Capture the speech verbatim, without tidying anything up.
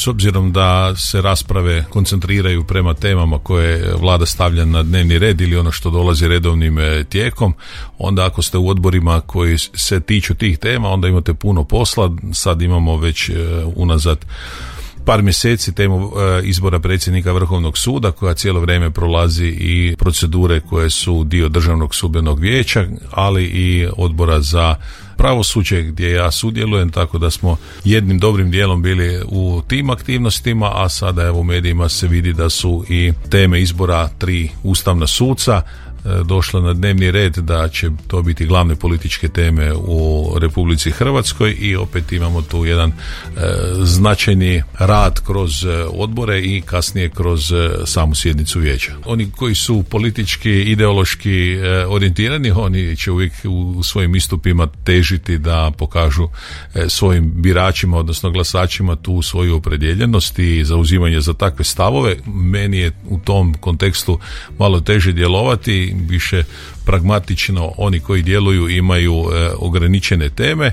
S obzirom da se rasprave koncentriraju prema temama koje vlada stavlja na dnevni red ili ono što dolazi redovnim tijekom, onda ako ste u odborima koji se tiču tih tema, onda imate puno posla. Sad imamo već unazad par mjeseci temu izbora predsjednika Vrhovnog suda, koja cijelo vrijeme prolazi i procedure koje su dio Državnog sudbenog vijeća, ali i odbora za pravosuđe gdje ja sudjelujem, tako da smo jednim dobrim dijelom bili u tim aktivnostima, a sada evo u medijima se vidi da su i teme izbora tri ustavna suca došla na dnevni red, da će to biti glavne političke teme u Republici Hrvatskoj i opet imamo tu jedan e, značajni rad kroz odbore i kasnije kroz e, samu sjednicu vijeća. Oni koji su politički, ideološki e, orijentirani, oni će uvijek u svojim istupima težiti da pokažu e, svojim biračima, odnosno glasačima, tu svoju opredjeljenost i zauzimanje za takve stavove. Meni je u tom kontekstu malo teže djelovati, više pragmatično. Oni koji djeluju imaju e, ograničene teme